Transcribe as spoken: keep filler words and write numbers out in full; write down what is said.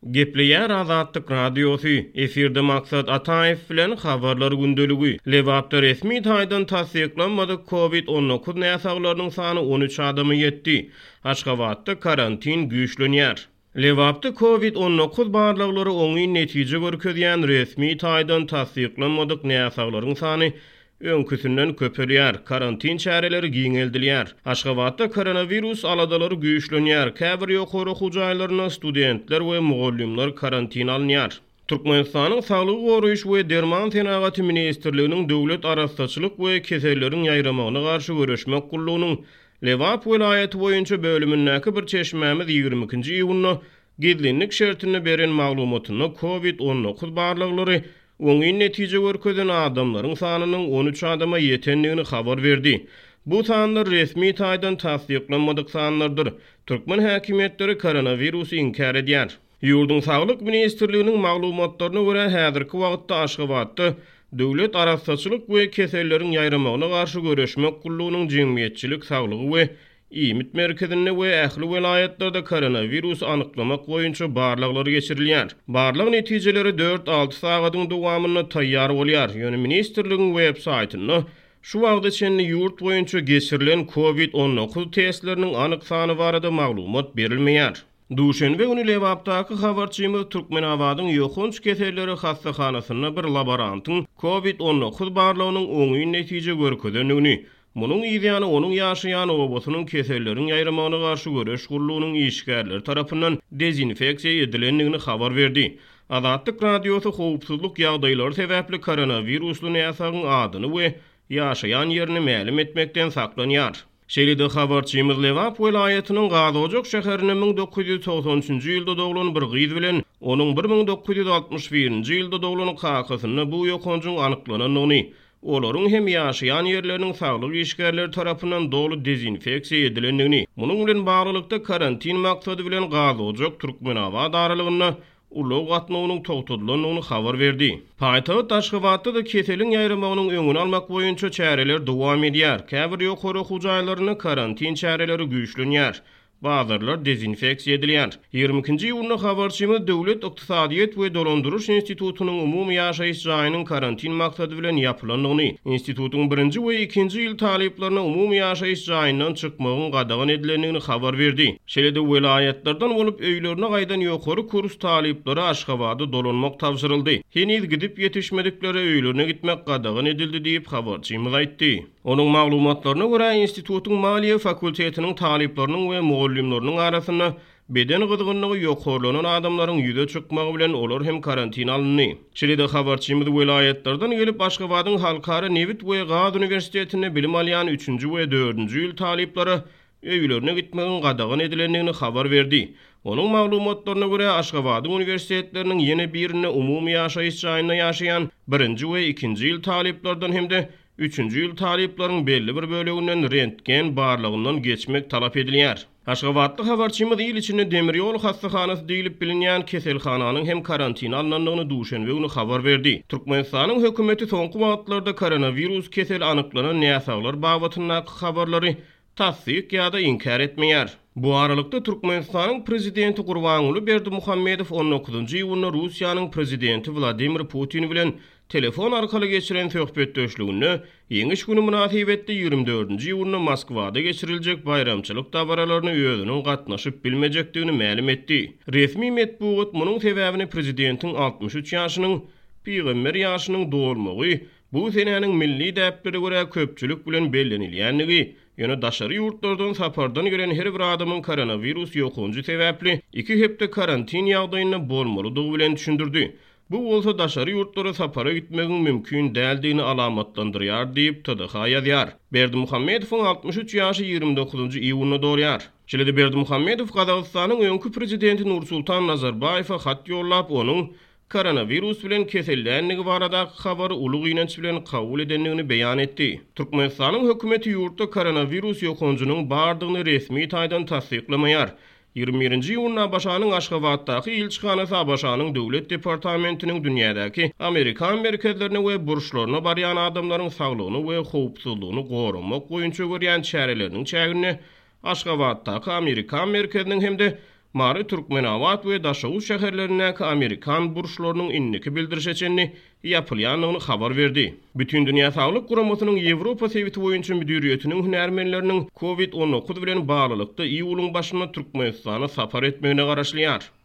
Gepleýär Azatlyk Radiosy, efirde Maksat Ataýew bilen Habarlar gündeligi. Lebapda resmi taýdan tassyklanmadyk Covid on dokuz näsaglarynyň sany on üç adama ýetdi. Aşgabatda karantin güýçlenýär. Lebapda Covid on dokuz barlaglary oňyn netije görkezýän resmi taýdan tassyklanmadyk näsaglaryň sany öňküsinden köpelýär, karantin çäreleri giňeldilýär. Aşgabatda koronawirus aladalary güýçlenýär, käbir ýokary okuw jaýlarynda studentler we mugallymlar karantin alynýar. Türkmenistanyň Saglygy goraýyş we derman senagaty ministrliginiň Döwlet arassaçylyk we keselleriň ýaýramagyna garşy göreşmek gullugynyň Lebap welaýaty boýunça bölümindäki bir çeşmämiz ýigrimi ikinji iýunda gizlinlik şertinde beren maglumatynda Covid on dokuz barlaglary oňyn netije görkezen adamlaryň sanynyň on üç adama ýetendigini habar berdi. Bu sanlar resmi taýdan tassyklanmadyk sanlardyr. Türkmen häkimiýetleri koronawirusy inkär edýär. Ýurduň Saglyk ministrliginiň maglumatlaryna görä häzirki wagtda Aşgabatda Döwlet arassaçylyk we keselleriň ýaýramagyna garşy göreşmek gullugynyň jemgyýetçilik saglygy we iýmit merkezinde we ähli welaýatlarda koronawirus anyklamak boýunça barlaglar geçirilýär. Barlag netijeleri dört alty sagadyň dowamynda taýýar bolýar. Ýöne ministrligiň web saýtynda şu wagta çenli ýurt boýunça geçirilen Covid on dokuz testleriniň anyk sany barada maglumat berilmeýär. Duşenbe güni Lebapdaky habarçymyz Türkmenabadyň ýokanç keselleri hassahanasynda bir laborantyň Covid on dokuz barlagynyň oňyn netije görkezendigini, munuň ýany onuň ýaşaýan obasynyň keselleriň ýaýramagyna garşy göreş gullugynyň işgärleri tarapyndan dezinfeksiýa edilendigini habar berdi. Azatlyk Radiosy howpsuzlyk ýagdaýlary sebäpli koronawirusly näsagyň adyny we ýaşaýan ýerini mälim etmekden saklanýar. Şeýle-de habarçymyz Lebap welaýatynyň Gazojak şäherinde müň dokuz ýüz togsan üçünji ýylda doglan bir gyz bilen onuň bir müň dokuz ýüz altmyş birinji ýylda doglan kakasynda bu ýokanjyň anyklanandygyny, olaryň hem ýaşaýan ýerleriniň saglyk işgärleri tarapyndan doly dezinfeksiýa edilendigini, munuň bilen baglylykda karantin maksady bilen Gazojak Türkmenabat aralygynda ulag gatnawynyň togtadylandygyny habar berdi. Paýtagt Aşgabatda-da keseliň ýaýramagynyň öňüni almak boýunça çäreler dowam edýär. Käbir ýokary okuw jaýlarynda karantin çäreleri güýçlenýär. Bazarlar dezinfeksiýa edilýär. Ýigrimi ikinji iýunda habarçymyz Döwlet ykdysadyýet we dolandyryş institutynyň umumy ýaşaýyş jaýynyň karantin maksady bilen ýapylandygyny, institutyň birinji we ikinji ýyl talyplaryna umumy ýaşaýyş jaýyndan çykmagyň gadagan edilendigini habar berdi. Şeýle-de welaýatlardan bolup öýlerine gaýdan ýokary kurs talyplary Aşgabada dolanmak tabşyryldy. Heniz gidip ýetişmediklere öýlerine gitmek gadagan edildi diýip habarçymyz aýtdy. Onuň maglumatlaryna görä institutyň maliýe fakultetiniň talyplarynyň we mugallymlarynyň arasynda beden gyzgynlygy ýokarlanan adamlaryň ýüze çykmagy bilen olar hem karantin alyndy. Şeýle-de habarçymyz welaýatlardan gelip Aşgabadyň Halkara Nebit we Gaz Uniwersitetinde bilim alýan üçünji we dördünji ýyl talyplara öýlerine gitmegiň gadagan edilendigini habar berdi. Onuň maglumatlaryna görä Aşgabadyň uniwersitetleriniň ýene birinde umumy ýaşaýyş jaýynda ýaşaýan birinji we ikinji ýyl talyplardan hem-de üçünji ýyl talyplaryň belli bir böleginden rentgen barlagyndan geçmek talap edilýär. Aşgabatly habarçymyz il içinde demir ýol hassahanasy diýilip bilinýän keselhananyň hem karantin alynandygyny duşenbe güni habar berdi. Türkmenistanyň hökümeti soňky wagtlarda koronawirus keseli anyklanan näsaglar babatyndaky habarlary tassyk ýa-da inkär etmeýär. Bu aralykda Türkmenistanyň prezidenti Gurbanguly Berdimuhamedow on dokuzynjy iýunda Russiýanyň prezidenti Wladimir Putin bilen telefon arkaly geçiren söhbetdeşliginde Ýeňiş güni mynasybetli ýigrimi dördünji iýunda Moskwada geçiriljek baýramçylyk dabaralaryna özüniň gatnaşyp bilmejekdigini mälim etdi. Resmi metbugat munuň sebäbini prezidentiň altmyş üç ýaşynyň pygamber ýaşynyň dolmagy, bu senäniň milli däplere görä köpçülik bilen bellenilýändigi, ýöne daşary ýurtlardan sapardan gelen her bir adamyň koronawirus ýokanjy sebäpli iki hepde karantin ýagdaýynda bolmalydygy bilen düşündirdi. Bu bolsa daşary ýurtlara sapara gitmegiň mümkin däldigini alamatlandyrýar diýip T D H ýazýar. Berdimuhamedowyň altmyş üç ýaşy ýigrimi dokuzynjy iýunda dolýar. Şeýle-de Berdimuhamedow Gazagystanyň öňki prezidenti Nursultan Nazarbaýewe hat ýollap, onuň koronawirus bilen keselländigi baradaky habary uly gynanç bilen kabul edendigini beýan etdi. Türkmenistanyň hökümeti ýurtda koronawirus ýokanjynyň bardygyny resmi taýdan tassyklamaýar. Ýigrimi birinji iýunda ABŞ-nyň Aşgabatdaky ilçihanasy ABŞ-nyň Döwlet departamentiniň dünýädäki Amerikan merkezlerine we burçlaryna barýan adamlaryň saglygyny we howpsuzlygyny goramak boýunça görýän çäreleriniň çäginde Aşgabatdaky Amerikan merkeziniň hem-de Mary, Türkmenabat we Daşoguz şäherlerindäki amerikan burçlarynyň indiki bildirişe çenli ýapylýandygyny habar berdi. Bütindünýä Saglyk Guramasynyň Ýewropa sebiti boýunça müdiriýetiniň hünärmenleriniň Covid on dokuz bilen baglylykda iýulyň başynda Türkmenistana sapar etmegine garaşylýar.